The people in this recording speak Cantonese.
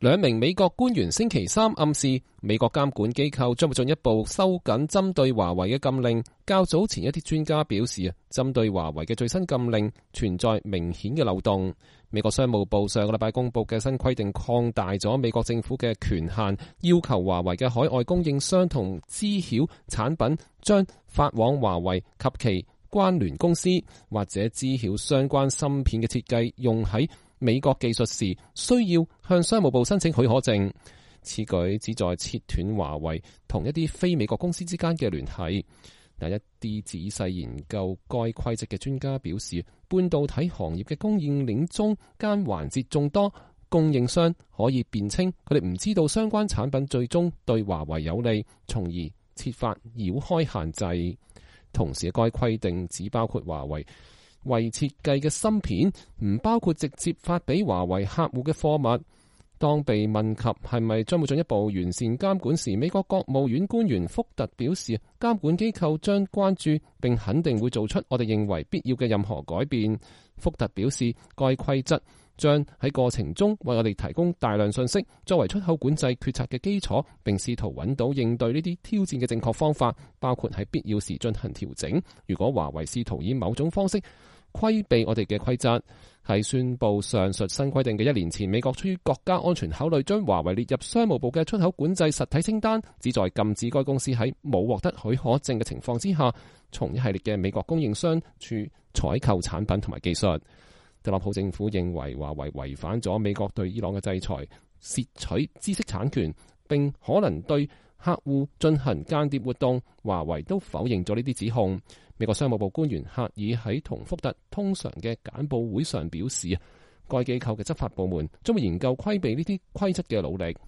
兩名美國官員星期三暗示，美國監管機構將會進一步收緊針對華為嘅禁令。較早前一啲專家表示，針對華為嘅最新禁令存在明顯嘅漏洞。美國商務部上個禮拜公布嘅新規定擴大咗美國政府嘅權限，要求華為嘅海外供應商同知曉產品將發往華為及其關聯公司或者知曉相關芯片嘅設計用喺美國技術時，需要向商務部申請許可證。此舉旨在切斷華為同一啲非美國公司之間嘅聯繫。但一啲仔細研究該規則嘅專家表示，半導體行業嘅供應鏈中間環節眾多，供應商可以辯稱佢哋唔知道相關產品最終對華為有利，從而設法繞開限制。同時，該規定只包括華為為設計嘅芯片，唔包括直接發俾華為客戶嘅貨物。當被問及係咪將會進一步完善監管時，美國國務院官員福特表示，監管機構將關注並肯定會做出我哋認為必要嘅任何改變。福特表示，該規則將喺過程中為我哋提供大量信息，作為出口管制決策嘅基礎，並試圖揾到應對呢啲挑戰嘅正確方法，包括喺必要時進行調整。如果華為試圖以某種方式規避我哋嘅規則。喺宣布上述新規定嘅1年前，美國出於國家安全考慮，將華為列入商務部嘅出口管制實體清單，旨在禁止該公司喺冇獲得許可證嘅情況之下，從一系列嘅美國供應商處採購產品同埋技術。特朗普政府認為華為違反咗美國對伊朗嘅制裁，竊取知識產權，並可能對客戶進行間諜活動。華為都否認咗呢啲指控。美國商務部官員赫爾喺同福特通常嘅簡報會上表示，該機構嘅執法部門將會研究規避呢啲規則嘅努力。